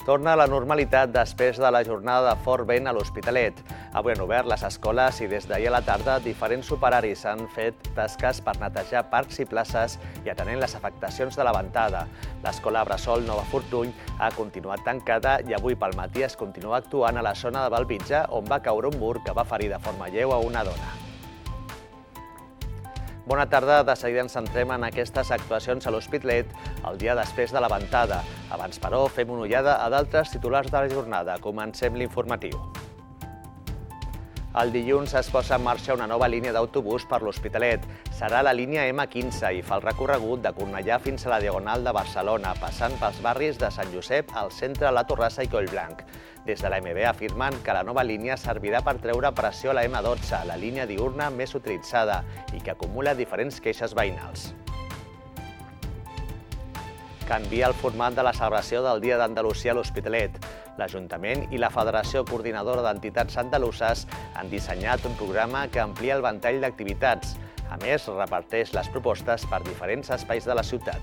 Torna a la normalitat després de la jornada de fort vent a l'Hospitalet. Avui han obert les escoles i des d'ahir a la tarda diferents operaris han fet tasques per netejar parcs i places i atenent les afectacions de la ventada. L'escola Bressol Nova Fortuny ha continuat tancada i avui pel matí es continua actuant a la zona de Bellvitge, on va caure un mur que va ferir de forma lleu a una dona. Bona tarda, de seguida ens centrem en aquestes actuacions a l'Hospitalet el dia després de la ventada. Abans, però, fem una ullada a d'altres titulars de la jornada. Comencem l'informatiu. El dilluns es posa en marxa una nova línia d'autobús per l'Hospitalet. Serà la línia M15 i fa el recorregut de Cornellà fins a la Diagonal de Barcelona, passant pels barris de Sant Josep, al centre, la Torrassa i Collblanc. Des de la MB afirmen que la nova línia servirà per treure pressió a la M12, la línia diürna més utilitzada, i que acumula diferents queixes veïnals. Canvia el format de la celebració del Dia d'Andalusia a l'Hospitalet. L'Ajuntament i la Federació Coordinadora d'Entitats Andaluses han dissenyat un programa que amplia el ventall d'activitats. A més, reparteix les propostes per diferents espais de la ciutat.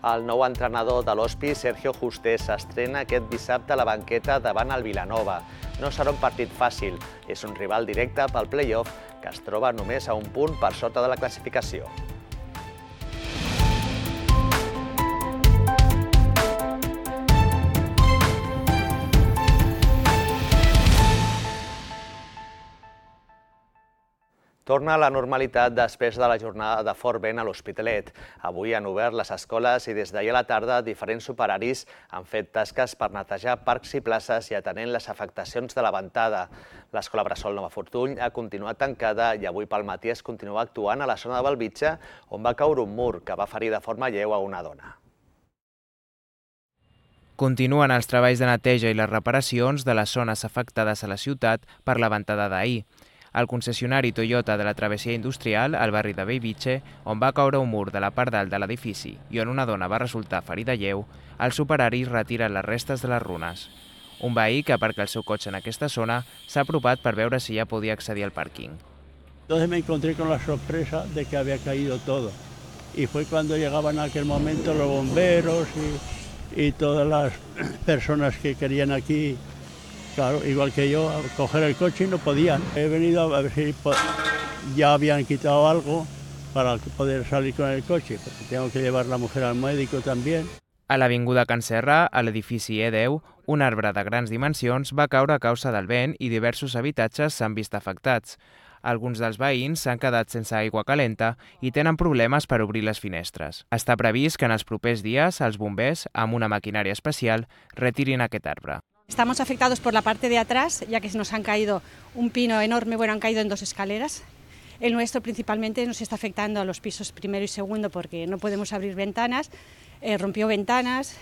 El nou entrenador de l'Hospi, Sergio Juste, s'estrena aquest dissabte a la banqueta davant el Vilanova. No serà un partit fàcil, és un rival directe pel play-off que es troba només a un punt per sota de la classificació. Torna a la normalitat després de la jornada de fort vent a l'Hospitalet. Avui han obert les escoles i des d'ahir a la tarda diferents operaris han fet tasques per netejar parcs i places i atenent les afectacions de la ventada. L'escola Bressol Nova Fortuny ha continuat tancada i avui pel matí es continua actuant a la zona de Bellvitge, on va caure un mur que va ferir de forma lleu a una dona. Continuen els treballs de neteja i les reparacions de les zones afectades a la ciutat per la ventada d'ahir. El concessionari Toyota de la travessia industrial, al barri de Bellvitge, on va caure un mur de la part dalt de l'edifici i on una dona va resultar ferida lleu, els operaris retiren les restes de les runes. Un veí que aparca el seu cotxe en aquesta zona s'ha apropat per veure si ja podia accedir al pàrquing. Entonces me encontré con la sorpresa de que había caído todo. Y fue cuando llegaban en aquel momento los bomberos y todas las personas que querían aquí. Claro, igual que yo, a coger el coche y no podían. He venido a ver si ya habían quitado algo para poder salir con el coche, porque tengo que llevar la mujer al médico también. A l'avinguda Can Serra, a l'edifici E10, un arbre de grans dimensions va caure a causa del vent i diversos habitatges s'han vist afectats. Alguns dels veïns s'han quedat sense aigua calenta i tenen problemes per obrir les finestres. Està previst que en els propers dies els bombers, amb una maquinària especial, retirin aquest arbre. Estamos afectados por la parte de atrás, ya que nos han caído un pino enorme, han caído en 2 escaleras. El nuestro principalmente nos está afectando a los pisos primero y segundo porque no podemos abrir ventanas, rompió ventanas.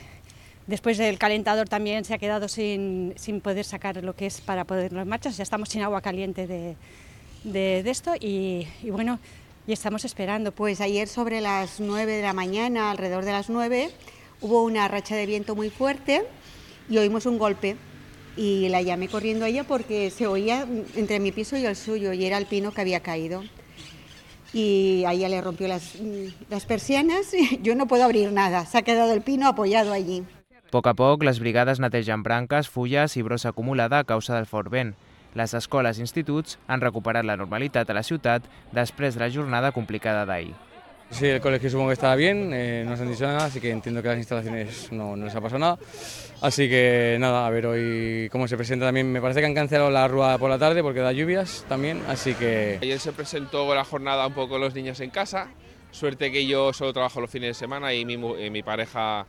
Después el calentador también se ha quedado sin poder sacar lo que es para ponerlo en marcha. Ya estamos sin agua caliente de esto y bueno, y estamos esperando. Pues ayer sobre las 9 de la mañana, alrededor de las 9, hubo una racha de viento muy fuerte y oímos un golpe y la llamé corriendo a ella porque se oía entre mi piso y el suyo y era el pino que había caído. Y a ella le rompió las persianas y yo no puedo abrir nada, se ha quedado el pino apoyado allí. A poc, les brigades netegen branques, fulles i brossa acumulada a causa del fort vent. Les escoles i instituts han recuperat la normalitat a la ciutat després de la jornada complicada d'ahir. Sí, el colegio supongo que estaba bien, no se han dicho nada, así que entiendo que a las instalaciones no les ha pasado nada. Así que nada, a ver hoy cómo se presenta también. Me parece que han cancelado la rúa por la tarde porque da lluvias también, así que... Ayer se presentó la jornada un poco los niños en casa. Suerte que yo solo trabajo los fines de semana y mi pareja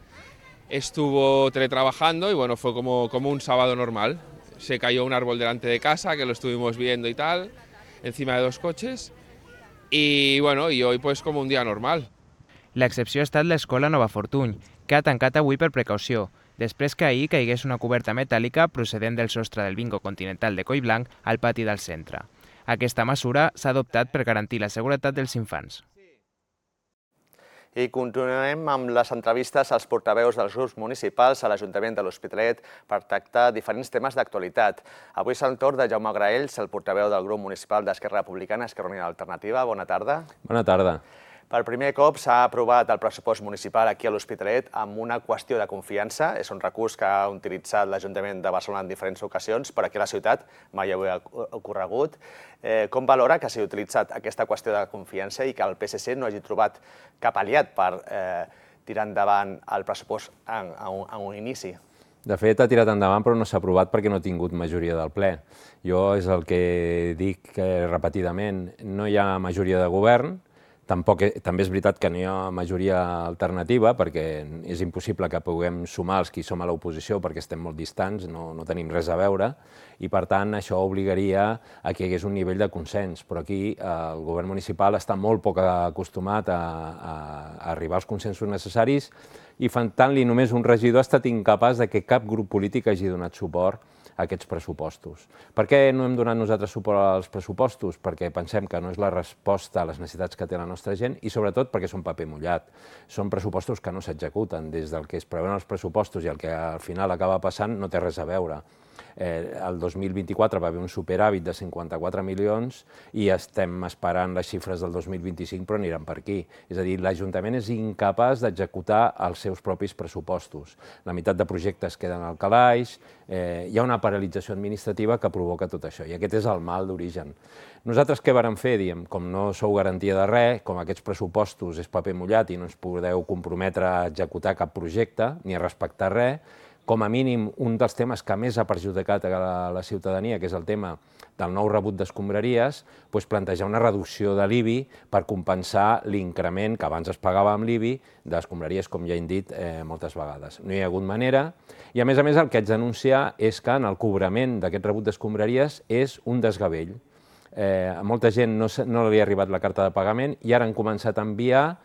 estuvo teletrabajando y bueno, fue como un sábado normal. Se cayó un árbol delante de casa, que lo estuvimos viendo y tal, encima de 2 coches. I bueno, i hoy pues com un dia normal. L'excepció ha estat l'escola Nova Fortuny, que ha tancat avui per precaució, després que ahir caigués una coberta metàl·lica procedent del sostre del bingo continental de Collblanc al pati del centre. Aquesta mesura s'ha adoptat per garantir la seguretat dels infants. I continuem amb les entrevistes als portaveus dels grups municipals a l'Ajuntament de l'Hospitalet per tractar diferents temes d'actualitat. Avui és el torn de Jaume Graells, el portaveu del grup municipal d'Esquerra Republicana, Esquerra Unida Alternativa. Bona tarda. Bona tarda. Per primer cop s'ha aprovat el pressupost municipal aquí a l'Hospitalet amb una qüestió de confiança. És un recurs que ha utilitzat l'Ajuntament de Barcelona en diferents ocasions, però aquí a la ciutat mai havia ocorregut. Com valora que s'hagi utilitzat aquesta qüestió de confiança i que el PSC no hagi trobat cap aliat per tirar endavant el pressupost a un inici? De fet, ha tirat endavant, però no s'ha aprovat perquè no ha tingut majoria del ple. Jo és el que dic repetidament, no hi ha majoria de govern. També és veritat que no hi ha majoria alternativa perquè és impossible que puguem sumar els que som a l'oposició perquè estem molt distants, no tenim res a veure i per tant això obligaria a que hi hagués un nivell de consens, però aquí el govern municipal està molt poc acostumat a arribar als consensos necessaris i faltant-li només un regidor ha estat incapaç que cap grup polític hagi donat suport a aquests pressupostos. Per què no hem donat nosaltres suport als pressupostos? Perquè pensem que no és la resposta a les necessitats que té la nostra gent i sobretot perquè són paper mullat. Són pressupostos que no s'executen. Des del que es preveuen els pressupostos i el que al final acaba passant no té res a veure. El 2024 va haver un superàvit de 54 milions i estem esperant les xifres del 2025 però aniran per aquí. És a dir, l'Ajuntament és incapaç d'executar els seus propis pressupostos. La meitat de projectes queden al calaix, hi ha una paralització administrativa que provoca tot això i aquest és el mal d'origen. Nosaltres què vàrem fer? Diem, com no sou garantia de res, com aquests pressupostos és paper mullat i no ens podeu comprometre a executar cap projecte ni a respectar res, com a mínim, un dels temes que més ha perjudicat a la ciutadania, que és el tema del nou rebut d'escombraries, plantejar una reducció de l'IBI per compensar l'increment que abans es pagava amb l'IBI d'escombraries, com ja hem dit moltes vegades. No hi ha hagut manera i, a més, el que haig d'anunciar és que en el cobrament d'aquest rebut d'escombraries és un desgavell. A molta gent no li ha arribat la carta de pagament i ara han començat a enviar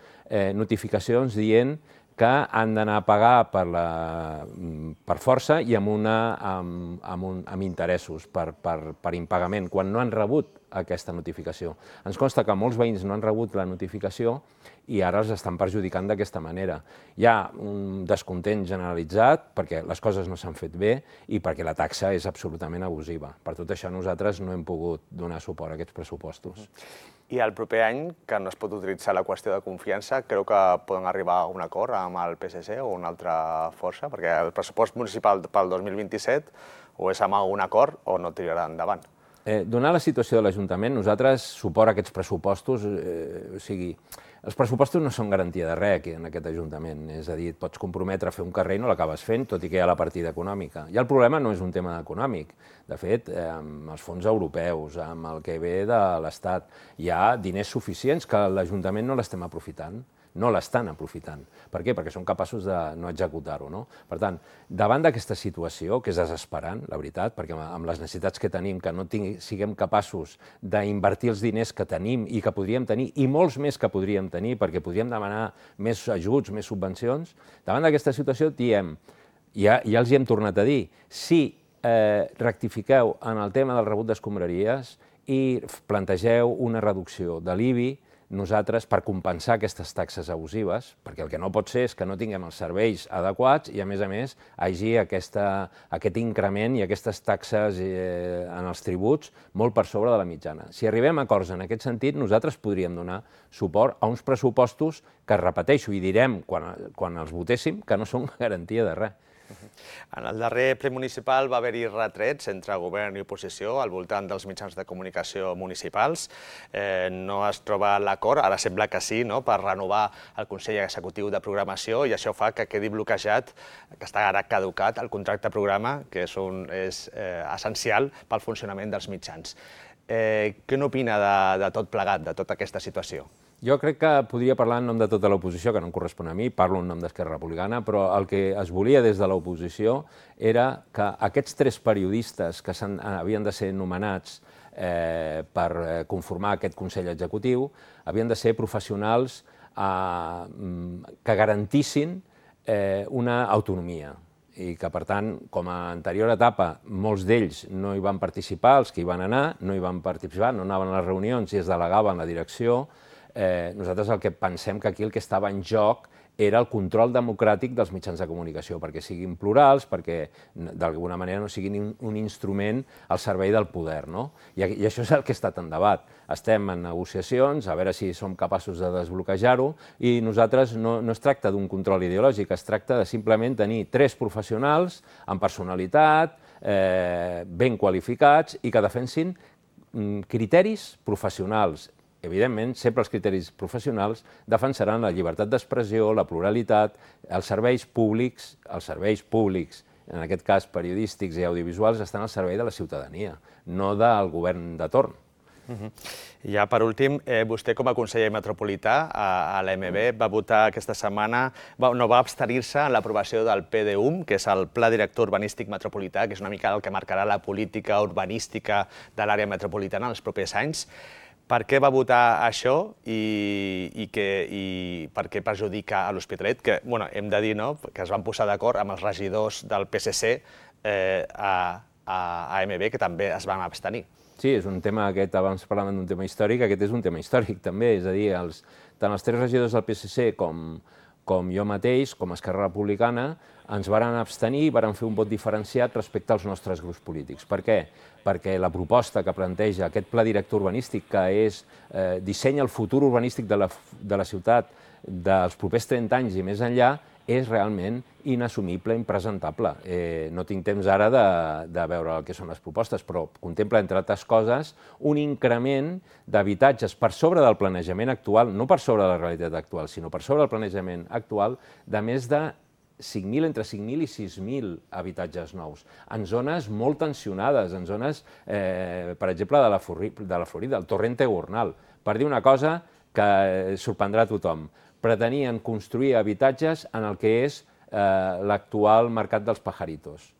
notificacions dient que han d'anar a pagar per força i amb interessos per impagament, quan no han rebut aquesta notificació. Ens consta que molts veïns no han rebut la notificació i ara els estan perjudicant d'aquesta manera. Hi ha un descontent generalitzat perquè les coses no s'han fet bé i perquè la taxa és absolutament abusiva. Per tot això nosaltres no hem pogut donar suport a aquests pressupostos. I el proper any, que no es pot utilitzar la qüestió de confiança, creu que poden arribar a un acord amb el PSC o una altra força? Perquè el pressupost municipal pel 2027 o és amb un acord o no tirarà endavant. Donat la situació de l'Ajuntament, nosaltres suport a aquests pressupostos, els pressupostos no són garantia de res aquí en aquest Ajuntament, és a dir, et pots comprometre a fer un carrer i no l'acabes fent, tot i que hi ha la partida econòmica. I el problema no és un tema econòmic, de fet, amb els fons europeus, amb el que ve de l'Estat, hi ha diners suficients que l'Ajuntament no l'estem aprofitant. No l'estan aprofitant. Per què? Perquè són capaços de no executar-ho. Per tant, davant d'aquesta situació, que és desesperant, la veritat, perquè amb les necessitats que tenim, que no siguem capaços d'invertir els diners que tenim i que podríem tenir, i molts més que podríem tenir, perquè podríem demanar més ajuts, més subvencions, davant d'aquesta situació diem, ja els hi hem tornat a dir, si rectifiqueu en el tema del rebut d'escombraries i plantegeu una reducció de l'IBI, nosaltres, per compensar aquestes taxes abusives, perquè el que no pot ser és que no tinguem els serveis adequats i, a més, hi hagi aquest increment i aquestes taxes en els tributs molt per sobre de la mitjana. Si arribem a acords en aquest sentit, nosaltres podríem donar suport a uns pressupostos que, repeteixo, i direm quan els votéssim, que no són garantia de res. En el darrer ple municipal va haver-hi retrets entre govern i oposició al voltant dels mitjans de comunicació municipals. No es troba l'acord, ara sembla que sí, per renovar el Consell Executiu de Programació i això fa que quedi bloquejat, que està ara caducat, el contracte programa, que és essencial pel funcionament dels mitjans. Què n'opina de tot plegat, de tota aquesta situació? Jo crec que podria parlar en nom de tota l'oposició, que no em correspon a mi, parlo en nom d'Esquerra Republicana, però el que es volia des de l'oposició era que aquests 3 periodistes que havien de ser nomenats per conformar aquest Consell Executiu havien de ser professionals que garantissin una autonomia i que, per tant, com a anterior etapa, molts d'ells no hi van participar, els que hi van anar, no hi van participar, no anaven a les reunions i es delegaven la direcció, nosaltres el que pensem que aquí el que estava en joc era el control democràtic dels mitjans de comunicació, perquè siguin plurals, perquè d'alguna manera no siguin un instrument al servei del poder, no? I això és el que ha estat en debat. Estem en negociacions, a veure si som capaços de desbloquejar-ho, i nosaltres no es tracta d'un control ideològic, es tracta de simplement tenir 3 professionals amb personalitat, ben qualificats i que defensin criteris professionals. Evidentment, sempre els criteris professionals defensaran la llibertat d'expressió, la pluralitat, els serveis públics, en aquest cas periodístics i audiovisuals, estan al servei de la ciutadania, no del govern de torn. Ja per últim, vostè com a conseller metropolità a l'AMB va votar aquesta setmana, va abstenir-se en l'aprovació del PDUM, que és el Pla Director Urbanístic Metropolità, que és una mica el que marcarà la política urbanística de l'àrea metropolitana en els propers anys. Per què va votar això i per què perjudica a l'Hospitalet? Que hem de dir que es van posar d'acord amb els regidors del PSC a AMB, que també es van abstenir. Sí, és un tema aquest, abans parlàvem d'un tema històric, aquest és un tema històric també, és a dir, tant els 3 regidors del PSC com jo mateix, com a Esquerra Republicana, ens varen abstenir i varen fer un vot diferenciat respecte als nostres grups polítics. Per què? Perquè la proposta que planteja aquest pla director urbanístic, que dissenya el futur urbanístic de la ciutat dels propers 30 anys i més enllà, és realment inassumible, impresentable. No tinc temps ara de veure el que són les propostes, però contempla, entre altres coses, un increment d'habitatges per sobre del planejament actual, no per sobre de la realitat actual, sinó per sobre del planejament actual, de més de 5.000, entre 5.000 i 6.000 habitatges nous, en zones molt tensionades, en zones, per exemple, de la Florida, el Torrente Gornal. Per dir una cosa que sorprendrà a tothom, pretenien construir habitatges en el que és l'actual mercat dels pajaritos.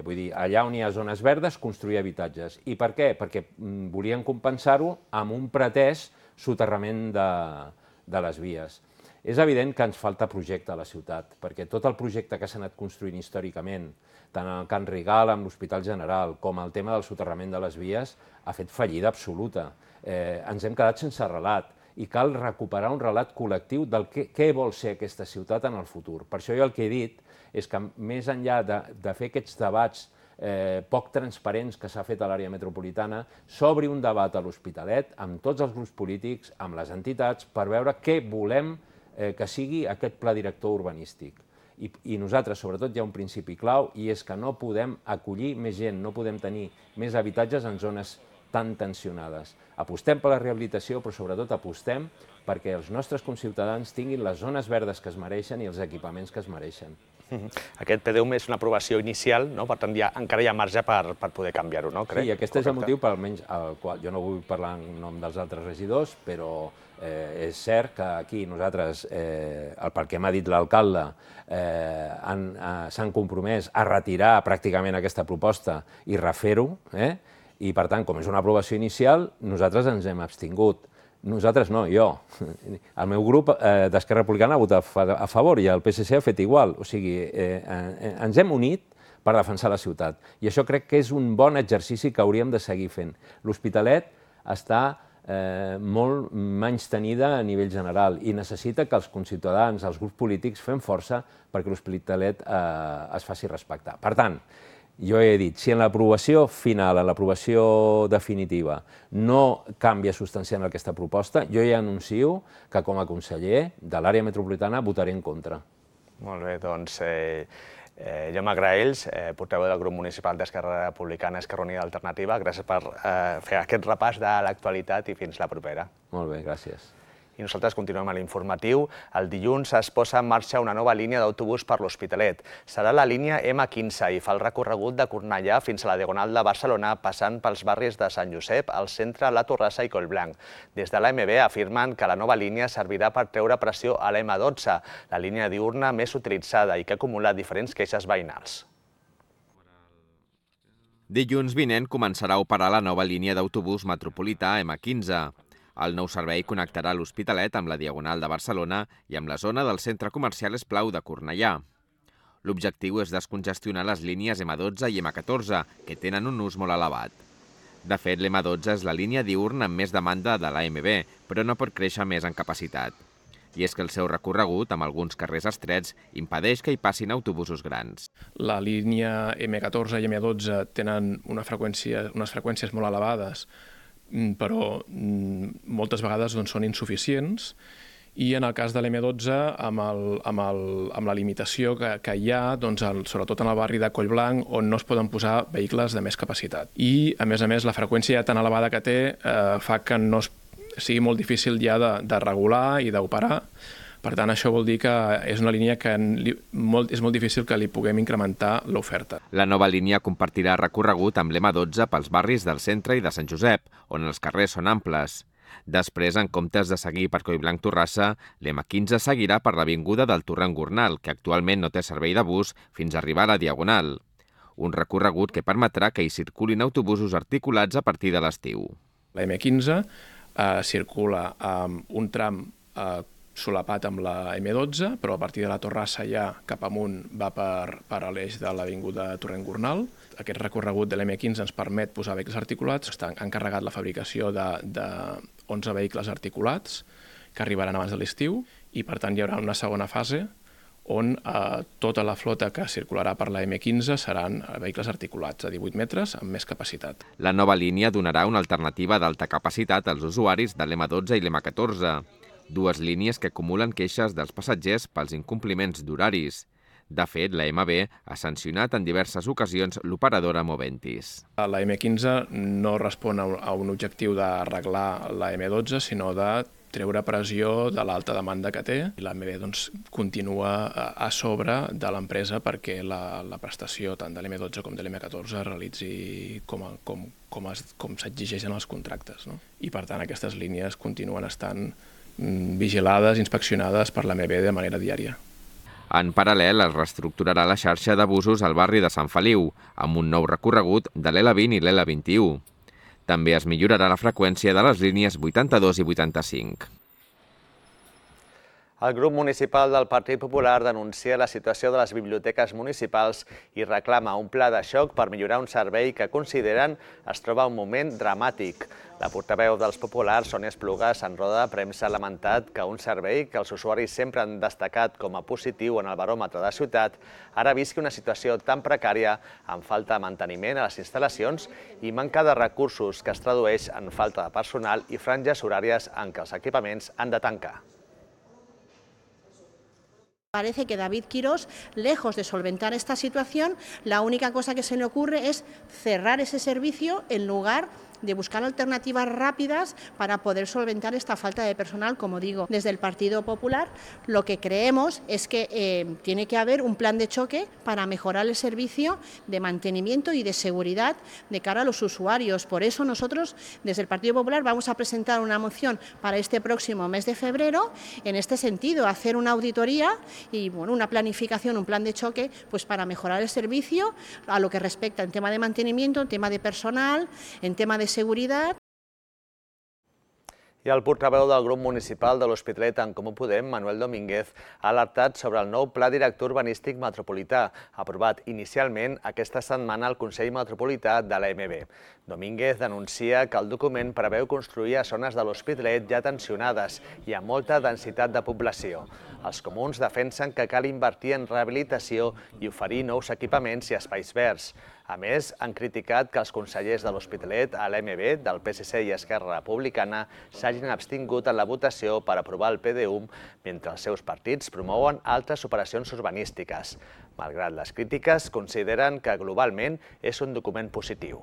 Vull dir, allà on hi ha zones verdes, construir habitatges. I per què? Perquè volien compensar-ho amb un pretès soterrament de les vies. És evident que ens falta projecte a la ciutat, perquè tot el projecte que s'ha anat construint històricament, tant el Can Rigal amb l'Hospital General com el tema del soterrament de les vies, ha fet fallida absoluta. Ens hem quedat sense relat i cal recuperar un relat col·lectiu del què vol ser aquesta ciutat en el futur. Per això jo el que he dit és que més enllà de fer aquests debats poc transparents que s'ha fet a l'àrea metropolitana, s'obri un debat a l'Hospitalet amb tots els grups polítics, amb les entitats, per veure què volem que sigui aquest pla director urbanístic. I nosaltres, sobretot, hi ha un principi clau, i és que no podem acollir més gent, no podem tenir més habitatges en zones tan tensionades. Apostem per la rehabilitació, però sobretot apostem perquè els nostres conciutadans tinguin les zones verdes que es mereixen i els equipaments que es mereixen. Aquest PDUM és una aprovació inicial, per tant encara hi ha marge per poder canviar-ho, no? Sí, aquest és el motiu per almenys el qual jo no vull parlar en nom dels altres regidors, però és cert que aquí nosaltres, pel que m'ha dit l'alcalde, s'han compromès a retirar pràcticament aquesta proposta i refer-ho, i per tant, com és una aprovació inicial, nosaltres ens hem abstingut. Nosaltres no, jo. El meu grup d'Esquerra Republicana ha votat a favor i el PSC ha fet igual. O sigui, ens hem unit per defensar la ciutat. I això crec que és un bon exercici que hauríem de seguir fent. L'Hospitalet està molt menystenida a nivell general i necessita que els conciutadans, els grups polítics, fem força perquè l'Hospitalet es faci respectar. Per tant, jo he dit, si en l'aprovació final, en l'aprovació definitiva, no canvia substancialment aquesta proposta, jo ja anuncio que com a conseller de l'àrea metropolitana votaré en contra. Molt bé, doncs Jaume Graells, portaveu del grup municipal d'Esquerra Republicana, Esquerra Unida Alternativa, gràcies per fer aquest repàs de l'actualitat i fins la propera. Molt bé, gràcies. I nosaltres continuem a l'informatiu. El dilluns es posa en marxa una nova línia d'autobús per l'Hospitalet. Serà la línia M15 i fa el recorregut de Cornellà fins a la Diagonal de Barcelona, passant pels barris de Sant Josep, el centre, la Torrassa i Collblanc. Des de l'AMB afirmen que la nova línia servirà per treure pressió a la M12, la línia diürna més utilitzada i que ha acumulat diferents queixes veïnals. Dilluns vinent començarà a operar la nova línia d'autobús metropolità M15. El nou servei connectarà l'Hospitalet amb la Diagonal de Barcelona i amb la zona del centre comercial Esplau de Cornellà. L'objectiu és descongestionar les línies M12 i M14, que tenen un ús molt elevat. De fet, l'M12 és la línia diürna amb més demanda de l'AMB, però no pot créixer més en capacitat. I és que el seu recorregut, amb alguns carrers estrets, impedeix que hi passin autobusos grans. La línia M14 i M12 tenen unes freqüències molt elevades, però moltes vegades són insuficients, i en el cas de l'M12, amb la limitació que hi ha, sobretot en el barri de Collblanc, on no es poden posar vehicles de més capacitat. I, a més, la freqüència tan elevada que té fa que no sigui molt difícil ja de regular i d'operar. Per tant, això vol dir que és una línia que és molt difícil que li puguem incrementar l'oferta. La nova línia compartirà recorregut amb l'M12 pels barris del centre i de Sant Josep, on els carrers són amples. Després, en comptes de seguir per Collblanc-Torrassa, l'M15 seguirà per l'avinguda del Torrent-Gornal, que actualment no té servei de bus fins a arribar a la Diagonal. Un recorregut que permetrà que hi circulin autobusos articulats a partir de l'estiu. La M15 circula amb un tram solapat amb la M12, però a partir de la Torrassa ja cap amunt va per l'eix de l'avinguda Torrent-Gornal. Aquest recorregut de l'M15 ens permet posar vehicles articulats. Està encarregat la fabricació de 11 vehicles articulats que arribaran abans de l'estiu i, per tant, hi haurà una segona fase on tota la flota que circularà per la M15 seran vehicles articulats a 18 metres amb més capacitat. La nova línia donarà una alternativa d'alta capacitat als usuaris de l'M12 i l'M14, dues línies que acumulen queixes dels passatgers pels incompliments d'horaris. De fet, la MB ha sancionat en diverses ocasions l'operadora Moventis. La M15 no respon a un objectiu d'arreglar la M12, sinó de treure pressió de l'alta demanda que té. La MB continua a sobre de l'empresa perquè la prestació tant de l'M12 com de l'M14 es realitzi com s'exigeix en els contractes. I, per tant, aquestes línies continuen estant vigilades, inspeccionades per la MB de manera diària. En paral·lel, es reestructurarà la xarxa de busos al barri de Sant Feliu, amb un nou recorregut de l'L20 i l'L21. També es millorarà la freqüència de les línies 82 i 85. El grup municipal del Partit Popular denuncia la situació de les biblioteques municipals i reclama un pla de xoc per millorar un servei que consideren es troba en un moment dramàtic. La portaveu dels populars, Sònia Esplugas, en roda de premsa ha lamentat que un servei que els usuaris sempre han destacat com a positiu en el baròmetre de ciutat ara visqui una situació tan precària amb falta de manteniment a les instal·lacions i manca de recursos que es tradueix en falta de personal i franges horàries en què els equipaments han de tancar. Parece que David Quirós, lejos de solventar esta situación, la única cosa que se le ocurre es cerrar ese servicio en lugar de buscar alternativas rápidas para poder solventar esta falta de personal, como digo. Desde el Partido Popular lo que creemos es que tiene que haber un plan de choque para mejorar el servicio de mantenimiento y de seguridad de cara a los usuarios. Por eso nosotros desde el Partido Popular vamos a presentar una moción para este próximo mes de febrero en este sentido, hacer una auditoría y una planificación, un plan de choque pues para mejorar el servicio a lo que respecta en tema de mantenimiento, en tema de personal, en tema de seguridad. I el portaveu del grup municipal de l'Hospitalet en Comú Podem, Manuel Domínguez, ha alertat sobre el nou Pla Director Urbanístic Metropolità, aprovat inicialment aquesta setmana al Consell Metropolità de l'AMB. Domínguez denuncia que el document preveu construir a zones de l'Hospitalet ja tensionades i amb molta densitat de població. Els comuns defensen que cal invertir en rehabilitació i oferir nous equipaments i espais verds. A més, han criticat que els consellers de l'Hospitalet a l'AMB, del PSC i Esquerra Republicana, s'hagin abstingut en la votació per aprovar el PDUM, mentre els seus partits promouen altres operacions urbanístiques. Malgrat les crítiques, consideren que globalment és un document positiu.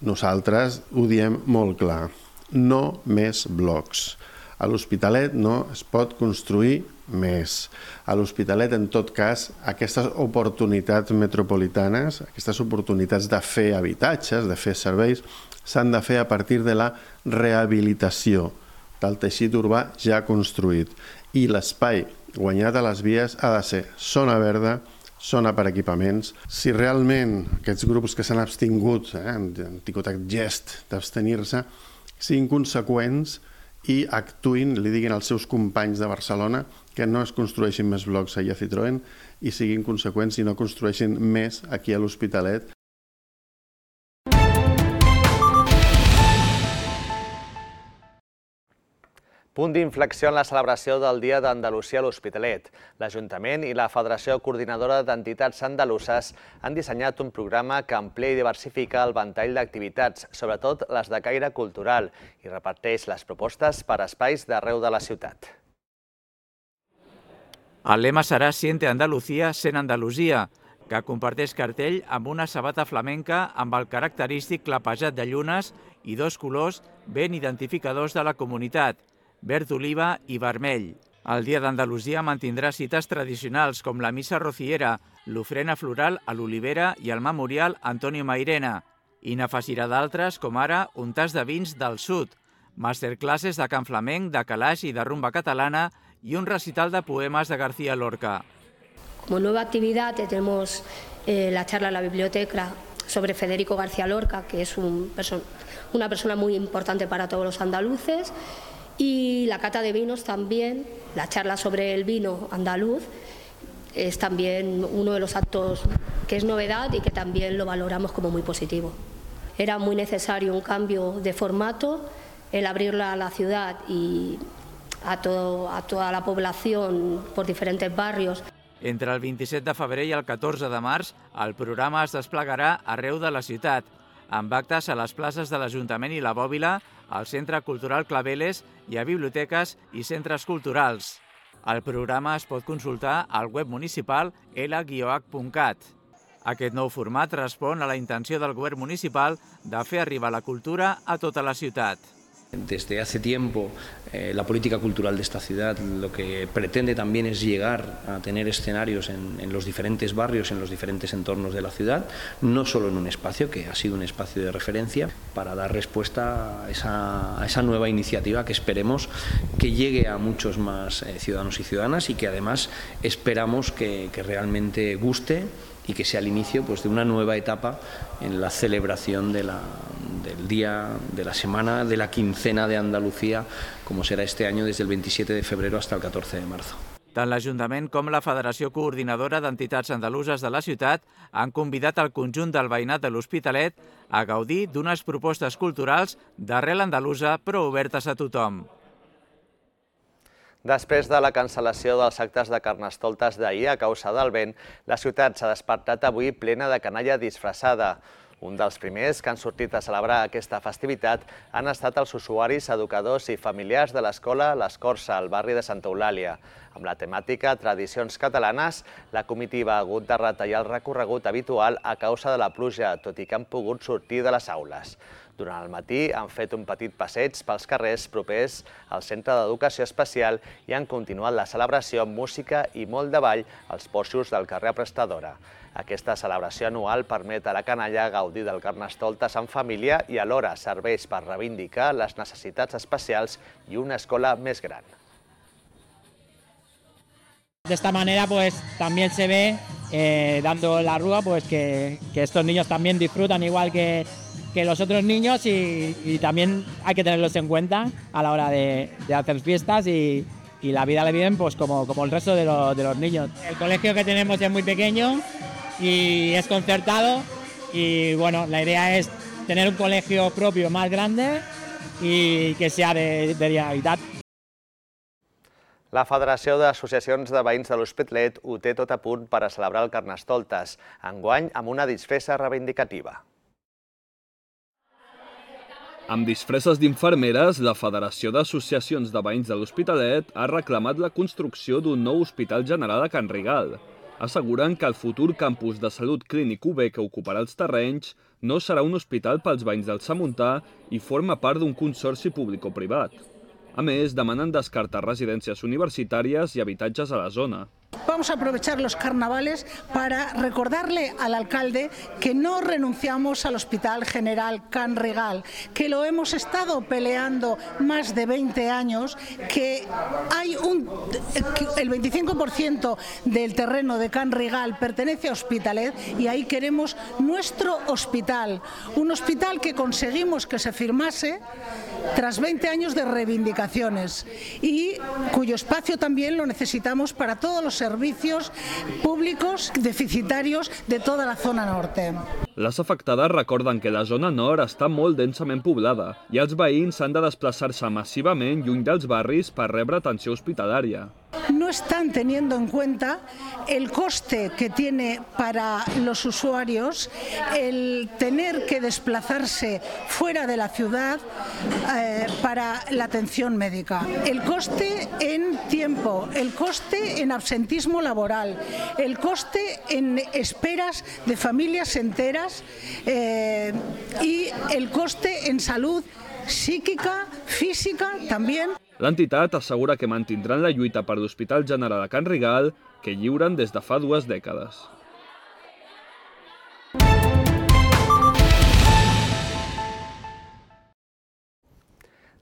Nosaltres ho diem molt clar. No més blocs. A l'Hospitalet no es pot construir més. A l'Hospitalet, en tot cas, aquestes oportunitats metropolitanes, aquestes oportunitats de fer habitatges, de fer serveis, s'han de fer a partir de la rehabilitació del teixit urbà ja construït. I l'espai guanyat a les vies ha de ser zona verda, zona per equipaments. Si realment aquests grups que s'han abstingut, han tingut aquest gest d'abstenir-se, siguin conseqüents i actuïn, li diguin als seus companys de Barcelona que no es construeixin més blocs allà a Citroën i siguin conseqüents i no construeixin més aquí a l'Hospitalet. Punt d'inflexió en la celebració del Dia d'Andalusia a l'Hospitalet. L'Ajuntament i la Federació Coordinadora d'Entitats Andaluses han dissenyat un programa que amplia i diversifica el ventall d'activitats, sobretot les de caire cultural, i reparteix les propostes per espais d'arreu de la ciutat. El lema serà Siente Andalucía, Sent Andalusia, que comparteix cartell amb una sabata flamenca amb el característic clapejat de llunes i dos colors ben identificadors de la comunitat, verd oliva i vermell. El Dia d'Andalusia mantindrà cites tradicionals com la missa rociera, l'ofrena floral a l'Olivera i el memorial Antonio Mairena, i n'afegirà d'altres com ara un tas de vins del sud, masterclasses de cant flamenc, de calaix i de rumba catalana i un recital de poemes de García Lorca. Como nueva actividad tenemos la charla en la biblioteca sobre Federico García Lorca, que es una persona muy importante para todos los andaluces, y la cata de vinos también, la charla sobre el vino andaluz, es también uno de los actos que es novedad y que también lo valoramos como muy positivo. Era muy necesario un cambio de formato, el abrirla a la ciudad y a toda la población por diferentes barrios. Entre el 27 de febrer i el 14 de març, el programa es desplegarà arreu de la ciutat, amb actes a les places de l'Ajuntament i la Bòbila, al Centre Cultural Claveles i a biblioteques i centres culturals. El programa es pot consultar al web municipal l-h.cat. Aquest nou format respon a la intenció del govern municipal de fer arribar la cultura a tota la ciutat. Desde hace tiempo la política cultural de esta ciudad lo que pretende también es llegar a tener escenarios en los diferentes barrios, en los diferentes entornos de la ciudad, no solo en un espacio que ha sido un espacio de referencia, para dar respuesta a esa nueva iniciativa que esperemos que llegue a muchos más ciudadanos y ciudadanas y que además esperamos que realmente guste y que sea el inicio de una nueva etapa en la celebración del día, de la semana, de la quincena de Andalucía, como será este año desde el 27 de febrero hasta el 14 de marzo. Tant l'Ajuntament com la Federació Coordinadora d'Entitats Andaluses de la ciutat han convidat el conjunt del veïnat de l'Hospitalet a gaudir d'unes propostes culturals d'arrel andalusa però obertes a tothom. Després de la cancel·lació dels actes de Carnestoltes d'ahir a causa del vent, la ciutat s'ha despertat avui plena de canalla disfressada. Un dels primers que han sortit a celebrar aquesta festivitat han estat els usuaris, educadors i familiars de l'escola l'Escorça, al barri de Santa Eulàlia. Amb la temàtica Tradicions catalanes, la comitiva ha hagut de retallar el recorregut habitual a causa de la pluja, tot i que han pogut sortir de les aules. Durant el matí han fet un petit passeig pels carrers propers al Centre d'Educació Especial i han continuat la celebració amb música i molt de ball als porxos del carrer Prestadora. Aquesta celebració anual permet a la canalla gaudir del Carnestoltes en família i alhora serveix per reivindicar les necessitats especials i una escola més gran. De esta manera pues también se ve, dando la rúa, pues que estos niños también disfrutan igual que los otros niños y también hay que tenerlos en cuenta a la hora de hacer fiestas y la vida la viven pues como el resto de los niños. El colegio que tenemos es muy pequeño y es concertado y bueno, la idea es tener un colegio propio más grande y que sea de Generalitat. La Federació d'Associacions de Veïns de l'Hospitalet ho té tot a punt per a celebrar el Carnestoltes, enguany amb una disfressa reivindicativa. Amb disfresses d'infermeres, la Federació d'Associacions de Veïns de l'Hospitalet ha reclamat la construcció d'un nou hospital general a Can Rigal. Asseguren que el futur campus de salut clínic UB que ocuparà els terrenys no serà un hospital pels veïns del Samuntà i forma part d'un consorci público-privat. A més, demanen descartar residències universitàries i habitatges a la zona. Vamos a aprovechar los carnavales para recordarle al alcalde que no renunciamos al Hospital General Can Rigal, que lo hemos estado peleando más de 20 años, que hay el 25% del terreno de Can Rigal pertenece a Hospitalet y ahí queremos nuestro hospital, un hospital que conseguimos que se firmase tras 20 años de reivindicaciones y cuyo espacio también lo necesitamos para todos los servicios públicos deficitarios de toda la zona norte. Les afectades recorden que la zona nord està molt densament poblada i els veïns han de desplaçar-se massivament lluny dels barris per rebre atenció hospitalària. No están teniendo en cuenta el coste que tiene para los usuarios el tener que desplazarse fuera de la ciudad para la atención médica. El coste en tiempo, el coste en absentismo laboral, el coste en esperas de familias enteras y el coste en salud psíquica, física también. L'entitat assegura que mantindran la lluita per l'Hospital General de Can Rigal, que lliuren des de fa 2 dècades.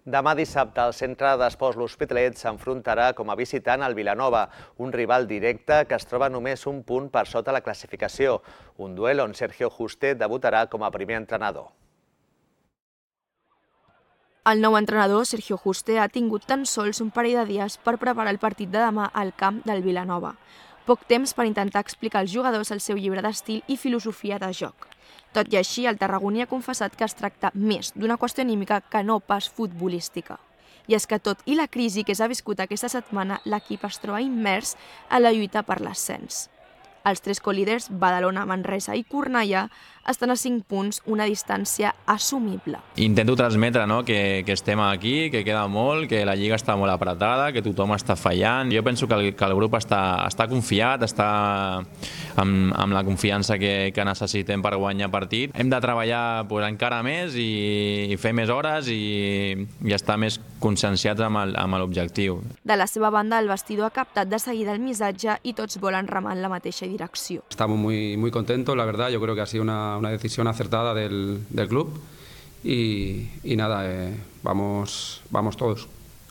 Demà dissabte, el centre d'esports L'Hospitalet s'enfrontarà com a visitant al Vilanova, un rival directe que es troba només un punt per sota la classificació, un duel on Sergio Juste debutarà com a primer entrenador. El nou entrenador, Sergio Juste, ha tingut tan sols un parell de dies per preparar el partit de demà al camp del Vilanova. Poc temps per intentar explicar als jugadors el seu llibre d'estil i filosofia de joc. Tot i així, el tarragoní ha confessat que es tracta més d'una qüestió anímica que no pas futbolística. I és que tot i la crisi que s'ha viscut aquesta setmana, l'equip es troba immers a la lluita per l'ascens. Els 3 colíders, Badalona, Manresa i Cornellà, estan a 5 punts, una distància assumible. Intento transmetre que estem aquí, que queda molt, que la lliga està molt apretada, que tothom està fallant. Jo penso que el grup està confiat, està amb la confiança que necessitem per guanyar partit. Hem de treballar encara més i fer més hores i estar més conscienciats amb l'objectiu. De la seva banda, el vestidor ha captat de seguida el missatge i tots volen remar en la mateixa direcció. Estamos muy contentos, la verdad. Yo creo que ha sido una decisión acertada del club y nada, vamos todos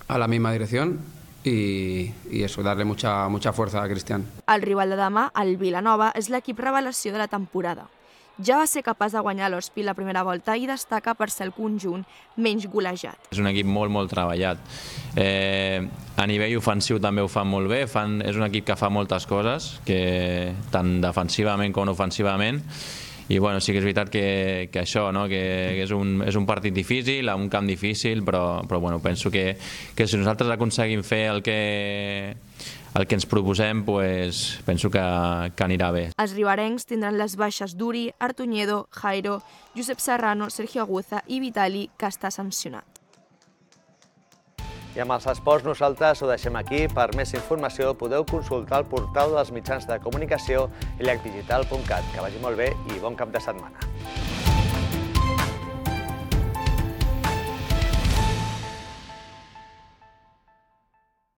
a la misma dirección y eso, darle mucha fuerza a Cristian. El rival de demà, el Vilanova, és l'equip revelació de la temporada. Ja va ser capaç de guanyar l'Hospi la primera volta i destaca per ser el conjunt menys golejat. És un equip molt treballat. A nivell ofensiu també ho fan molt bé, és un equip que fa moltes coses, tant defensivament com ofensivament, i sí que és veritat que això, que és un partit difícil, un camp difícil, però penso que si nosaltres aconseguim fer el que ens proposem, penso que anirà bé. Els riberencs tindran les baixes d'Uri, Artuñedo, Jairo, Josep Serrano, Sergio Aguza i Vitali, que està sancionat. I amb els esports nosaltres ho deixem aquí. Per més informació podeu consultar el portal dels mitjans de comunicació illecdigital.cat. Que vagi molt bé i bon cap de setmana.